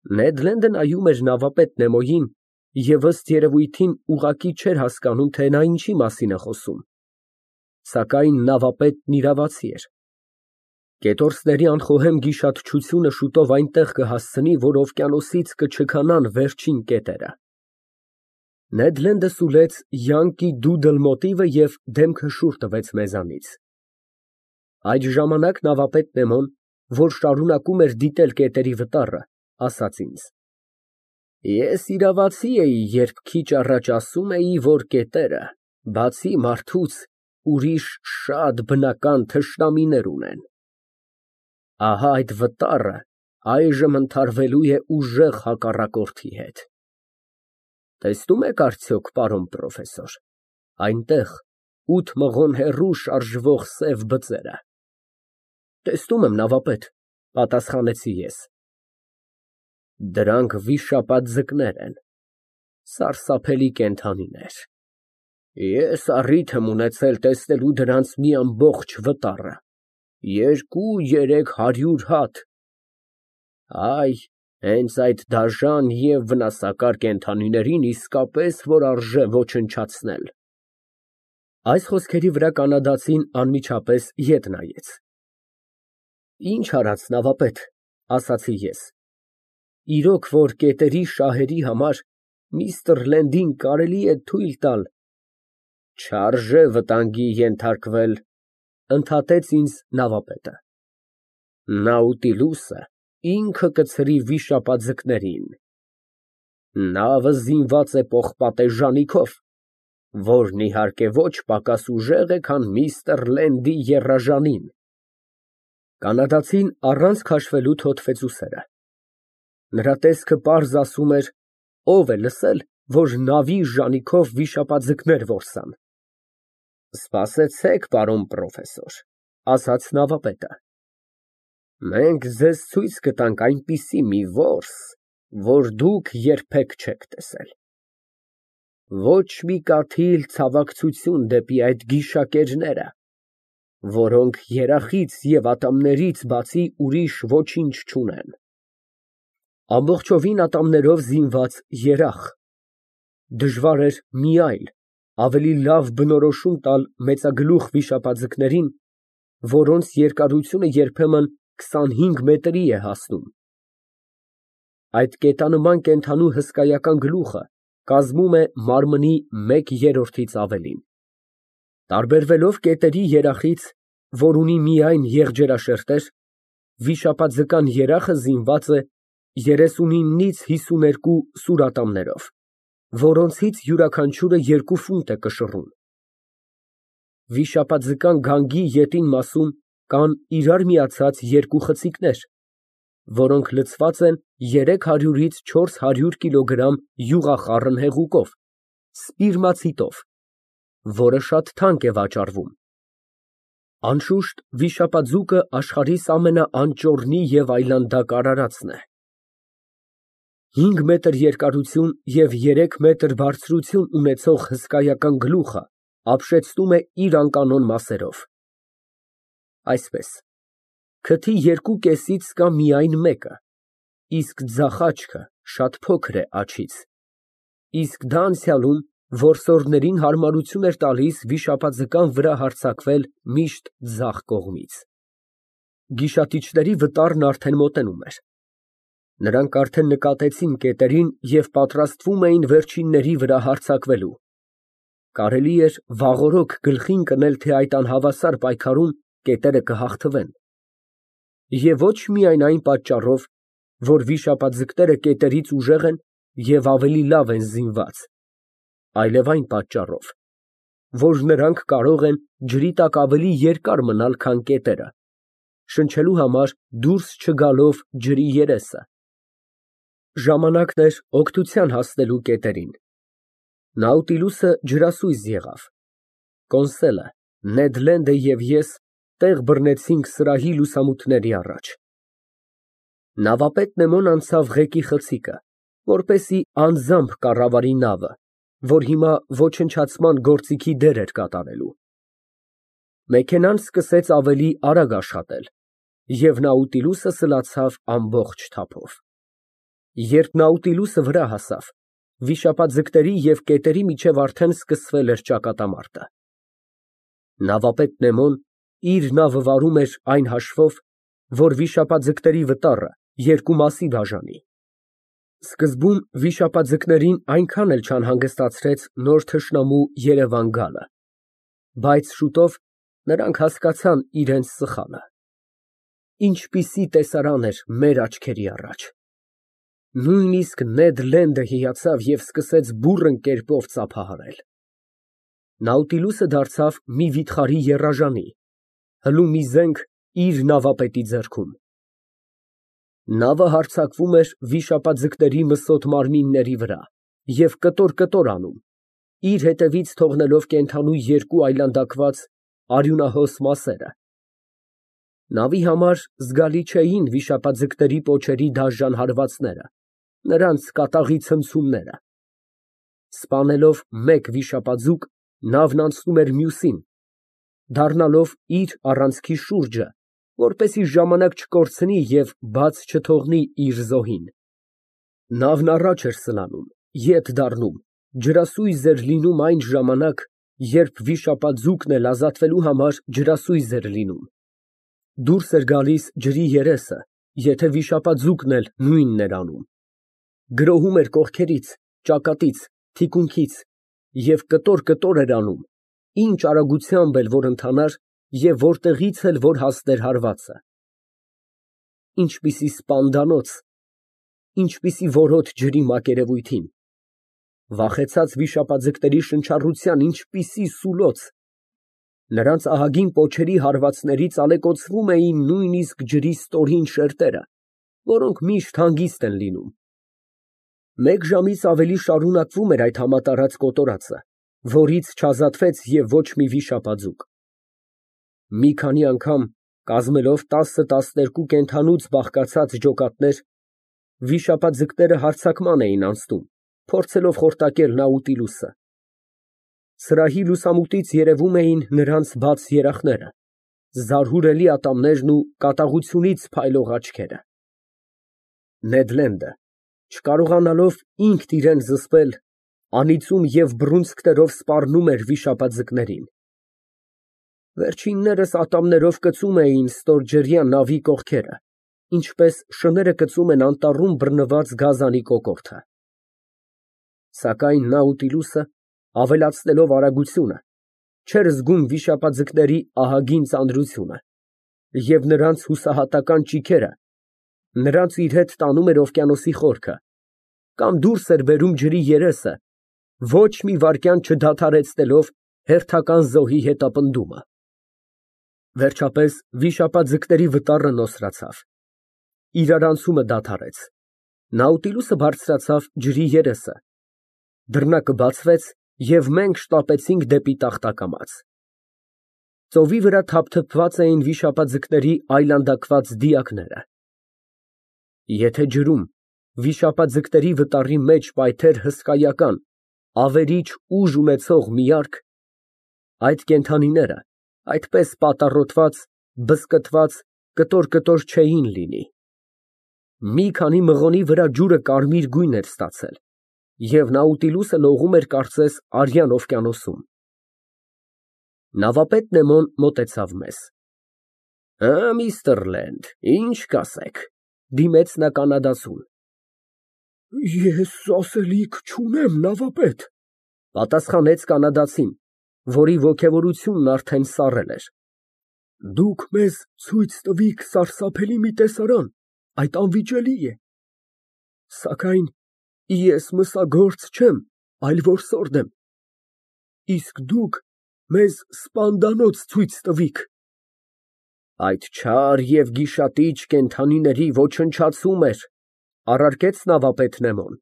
Նեդ Լենդը նայում էր նավապետ Նեմոյին և ըստ երևույթին ուղղակի չէր հասկանում, թե նա ինչի մասին է խոսում, սակայն նավապետն իրավացի էր։ Կետորսների անխոհեմ գիշատչությունը շուտով այնտեղ կհասցնի, որ օվկիանոսից կչքանան վերջին կետերը։ Նեդ Լենդը սուլեց յանկի դուդլ մոտիվը և դեմքը շուռ տվեց մեզանից։ Այդ ժամանակ նավապետ Նեմոն, որ շարունակում էր դիտել կետերի վտառը, ասաց ինձ. Ես իրավացի էի, երբ քիչ առաջ ասում էի, որ կետերը, բացի մարդուց, ուրիշ շատ բնական թշնամիներ ունեն։ Ահա այդ վտառը այժմ ընդհարվելու է ուժեղ հակառակորդի հետ։ Տեսնում եք արդյոք, պարոն պրոֆեսոր, այնտեղ 8 մղոն հեռու շարժվող սև բծերը։ Տեսնում եմ, նավապետ, պատասխանեցի ես։ Դրանք վիշապաձկներ են, սարսափելի կենդանիներ։ Ես առիթ եմ ունեցել տեսնելու դրանց մի ամբողջ վտառը, 200-300 հատ։ Այ, հենց այդ դաժան և վնասակար կենդանիներին իսկապես որ արժե ոչնչացնել։ Այս խոսքերի վրա կանադացին անմիջապես ետ նայեց։ Ինչ արած, նավապետ, ասացի ես։ Իրոք որ կետերի շահերի համար միստր Լենդին կարելի է թույլ տալ։ Չարժե վտանգի ենթարկվել, ընդհատեց ինձ նավապետը։ Նաուտիլուսը ինքը կցրի վիշապաձկներին։ Նավը զինված է պողպատե ժանիքով, որն իհարկե ոչ պակաս ուժեղ է, քան միստր Լենդի եռաժանին։ Կանադացին առանց քաշվելու թոթվեց ուսերը։ Նրա տեսքը պարզ ասում էր. ով է լսել, որ նավի ժանիքով վիշապաձկներ որսան։ Սպասեցեք, պարոն պրոֆեսոր, ասաց նավապետը։ Մենք ձեզ ցույց կտանք այնպիսի մի որս, որ դուք երբեք չեք տեսել։ Ոչ մի կաթիլ ցավակցություն դեպի այդ գիշակերները, որոնք երախից և ատամներից բացի ուրիշ ոչինչ չունեն։ Ամբողջովին ատամներով զինված երախ։ Դժվար էր մի այլ, ավելի լավ բնորոշում տալ մեծագլուխ վիշապաձկներին, որոնց երկարությունը երբեմն 25 մետրի է հասնում։ Այդ կետանման կենդանու հսկայական գլուխը կազմում է մարմնի 1/3-ից ավելին։ Տարբերվելով կետերի երախից, որ ունի միայն եղջերաշերտեր, վիշապաձկան երախը զինված է 39-ից 52 սուրատամներով, որոնցից յուրաքանչյուրը 2 ֆունտ է կշռում։ Վիշապաձկան գանգի ետին մասում կան իրար միացած 2 խցիկներ, որոնք լցված են 300-ից 400 կիլոգրամ յուղախառն հեղուկով, սպիրմացիտով, որը շատ թանկ է վաճառվում։ Անշուշտ, վիշապաձուկը աշխարհիս ամենաանճոռնի և այլանդակ արարածն է։ 5 մետր երկարություն և 3 մետր բարձրություն ունեցող հսկայական գլուխը ապշեցնում է իր անկանոն մասերով։ Այսպես, քթի երկու կեսից կա միայն մեկը, իսկ ձախ աչքը շատ փոքր է աջից, իսկ դա անցյալում որսորդներին հարմարություն էր տալիս վիշապաձկան վրա հարձակվել միշտ ձախ կողմից։ Գիշատիչների վտառն արդեն մոտենում էր։ Նրանք արդեն նկատեցին կետերին և պատրաստվում էին վերջինների վրա հարձակվելու։ Կարելի էր վաղօրոք գլխին կնել, թե այդ անհավասար պայքարում կետերը կհաղթվեն։ Եվ ոչ միայն այն պատճառով, որ վիշապաձկները կետերից ուժեղ են և ավելի լավ են զինված, այլև այն պատճառով, որ նրանք կարող են ջրի տակ ավելի երկար մնալ, քան կետերը, շնչելու համար դուրս չգալով ջրի երեսը։ Ժամանակն էր օգնության հասնելու կետերին։ Նաուտիլուսը ջրասույզ եղավ։ Կոնսելը, Նեդ Լենդը և ես տեղ բռնեցինք սրահի լուսամուտների առաջ։ Նավապետ Նեմոն անցավ ղեկի խցիկը, որպեսզի անձամբ կառավարի նավը, որ հիմա ոչնչացման գործիքի դեր էր կատարելու։ Մեքենան սկսեց ավելի արագ աշխատել, և Նաուտիլուսը սլացավ ամբողջ թափով։ Երբ Նաուտիլուսը վրա հասավ, վիշապաձկների և կետերի միջև արդեն սկսվել էր ճակատամարտը։ Նավապետ Նեմոն իր նավը վարում էր այն հաշվով, որ վիշապաձկների վտառը երկու մասի բաժանի։ Սկզբում վիշապաձկներին այնքան էլ չանհանգստացրեց նոր թշնամու երևան գալը, բայց շուտով նրանք հասկացան իրենց սխալը։ Ինչպիսի տեսարան էր մեր աչքերի առաջ։ Նույնիսկ Նեդ Լենդը հիացավ և սկսեց բուռն կերպով ծափահարել։ Նաուտիլուսը դարձավ մի վիթխարի եռաժանի, հլու մի զենք իր նավապետի ձեռքում։ Նավը հարձակվում էր վիշապաձկների մսոտ մարմինների վրա և կտոր անում, իր հետևից թողնելով կենդանու երկու այլանդակված արյունահոս մասերը։ Նավի համար զգալի չէին վիշապաձկների պոչերի դաժան հարվածները, նրանց կատաղի ցնցումները։ Սպանելով մեկ վիշապաձուկ, նավն անցնում էր մյուսին, դառնալով իր առանցքի շուրջը, որպեսզի ժամանակ չկորցնի և բաց չթողնի իր զոհին։ Նավն առաջ էր սլանում, ետ դառնում, ջրասույզ էր լինում այն ժամանակ, երբ վիշապաձուկն էլ ազատվելու համար ջրասույզ էր լինում։ Դուրս էր գալիս ջրի երեսը, եթե վիշապաձուկն էլ նույնն էր անում։ Գրոհում էր կողքերից, ճակատից, թիկունքից և կտոր էր անում, ինչ արագությամբ էլ որ ընթանար և որտեղից էլ որ հասներ հարվածը։ Ինչպիսի սպանդանոց, ինչպիսի որոտ ջրի մակերևույթին, վախեցած վիշապաձկների շնչառության ինչպիսի սուլոց, նրանց ահագին պոչերի հարվածներից ալեկոծվում էին նույնիսկ ջրի ստորին շերտերը, որոնք միշտ հանգիստ են լինում։ Մեկ ժամից ավելի շարունակվում էր այդ համատարած կոտորածը, որից չազատվեց և ոչ մի վիշապաձուկ։ Մի քանի անգամ, կազմելով 10-12 կենդանուց բաղկացած ջոկատներ, վիշապաձկները հարձակման էին անցնում, փորձելով խորտակել Նաուտիլուսը։ Սրահի լուսամուտից երևում էին նրանց բաց երախները, զարհուրելի ատամներն ու կատաղությունից փայլող աչքերը։ Նեդ Լենդը, չկարողանալով ինքն իրան զսպել, անիծում և բռունցքներով սպառնում էր վիշապաձկներին։ Վերջիններս ատամներով կծում էին ստորջրյա նավի կողքերը, ինչպես շները կծում են անտառում բռնված գազանի կոկորդը։ Սակայն Նաուտիլուսը, ավելացնելով արագությունը, չէր զգում վիշապաձկների ահագին ծանրությունը, և նրանց հուսահատական ճիգերը նրանց իր հետ տանում էր օվկիանոսի խորքը, կամ դուրս էր բերում ջրի երեսը, ոչ մի վայրկյան չդադարեցնելով հերթական զոհի հետապնդումը։ Վերջապես վիշապաձկների վտառը նոսրացավ, իրարանցումը դադարեց, Նաուտիլուսը բարձրացավ ջրի երեսը, դռնակը բացվեց և մենք շտապեցինք դեպի տախտակամաց։ Ծովի վրա թափթփված էին վիշապաձկների այլանդակված դիակները։ Եթե ջրում վիշապաձկների վտառի մեջ պայթեր հսկայական, ավերիչ ուժ ունեցող մի արկ, այդ կենդանիները այդպես պատառոտված, բզկտված կտոր չէին լինի։ Մի քանի մղոնի վրա ջուրը կարմիր գույն էր ստացել, և Նաուտիլուսը լողում էր կարծես արյան օվկիանոսում։ Նավապետ Նեմոն մոտեցավ մեզ։ Միստր Լենդ, ինչ կասեք, դիմեց նա կանադացուն։ Ես ասելիք չունեմ, նավապետ, պատասխանեց կանադացին, որի ոգևորությունն արդեն սառել էր։ Դուք մեզ ցույց տվիք սարսափելի մի տեսարան, այդ անվիճելի է։ Սակայն ես մսագործ չեմ, այլ որսորդ եմ, իսկ դուք մեզ սպանդանոց ցույց տվիք։ Այդ չար և գիշատիչ կենդանիների ոչնչացում էր, առարկեց նավապետ Նեմոն։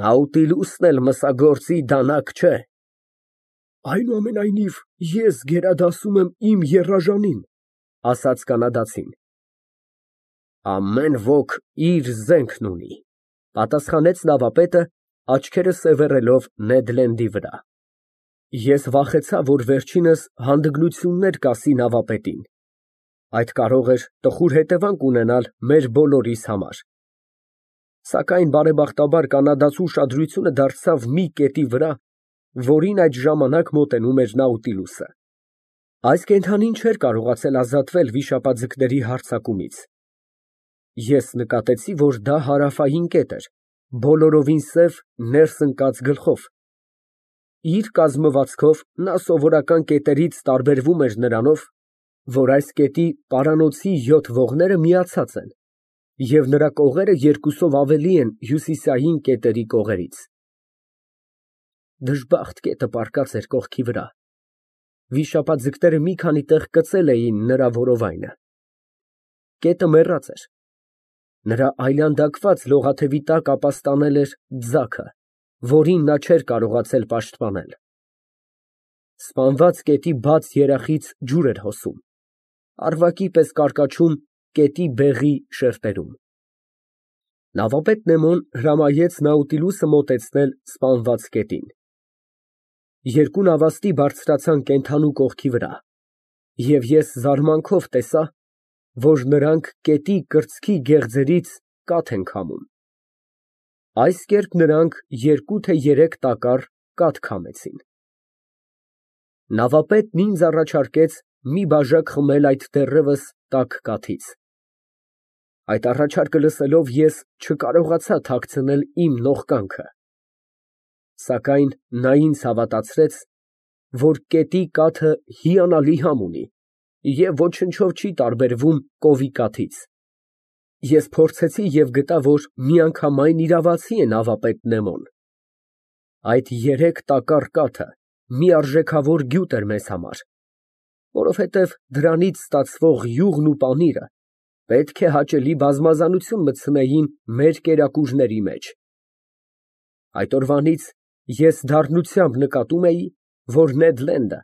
Նաուտիլուսն էլ մսագործի դանակ չէ։ Այնուամենայնիվ, ես գերադասում եմ իմ եռաժանին, ասաց կանադացին։ Ամեն ոք իր զենքն ունի, պատասխանեց նավապետը, աչքերը սևեռելով Նեդ Լենդի վրա։ Ես վախեցա, որ վերջինս հանդգնություններ կասի նավապետին։ Այդ կարող էր տխուր հետևանք ունենալ մեր բոլորիս համար։ Սակայն բարեբախտաբար կանադացու ուշադրությունը դարձավ մի կետի վրա, որին այդ ժամանակ մոտենում էր Նաուտիլուսը։ Այս կենդանին չէր կարողացել ազատվել վիշապաձկների հարձակումից։ Ես նկատեցի, որ դա հարավային կետ էր, բոլորովին սև, ներս ընկած գլխով։ Իր կազմվածքով նա սովորական կետերից տարբերվում էր նրանով, որ այս կետի պարանոցի 7 ողները միացած են, և նրա կողերը երկուսով ավելի են հյուսիսային կետերի կողերից։ Դժբախտ կետը պառկած էր կողքի վրա։ Վիշապաձկները մի քանի տեղ կծել էին նրա որովայնը։ Կետը մեռած էր։ Նրա այլանդակված լողաթևի տակ ապաստանել էր ձագը, որին նա չէր կարողացել պաշտպանել։ Սպանված կետի բաց երախից ջուր էր հոսում, առվակի պես կարկաչում կետի բեղի շերտերում։ Նավապետ Նեմոն հրամայեց Նաուտիլուսը մոտեցնել սպանված կետին։ Երկու նավաստի բարձրացան կենդանու կողքի վրա, և ես զարմանքով տեսա, որ նրանք կետի կրծքի գեղձերից կաթ են քամում։ Այս կերպ նրանք 2 թե 3 տակառ կաթ քամեցին։ Նավապետն ինձ առաջարկեց մի բաժակ խմել այդ դեռևս տաք կաթից։ Այդ առաջարկը լսելով, ես չկարողացա թաքցնել իմ նողկանքը։ Սակայն նա ինձ հավատացրեց, որ կետի կաթը հիանալի համ ունի և ոչնչով չի տարբերվում կովի կաթից։ Ես փորձեցի և գտա, որ միանգամայն իրավացի է նավապետ Նեմոն։ Այդ 3 տակառ կաթը մի արժեքավոր գյուտ էր մեզ համար, որովհետև դրանից ստացվող յուղն ու պանիրը պետք է հաճելի բազմազանություն մտցնեին մեր կերակուրների մեջ։ Այդ օրվանից ես դառնությամբ նկատում էի, որ Նեդ Լենդը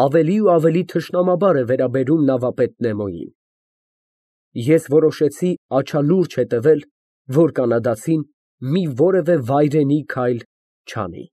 ավելի ու ավելի թշնամաբար է վերաբերում նավապետ Նեմոյին։ Ես որոշեցի աչալուրջ հետևել, որ կանադացին մի որևէ վայրենի քայլ չանի։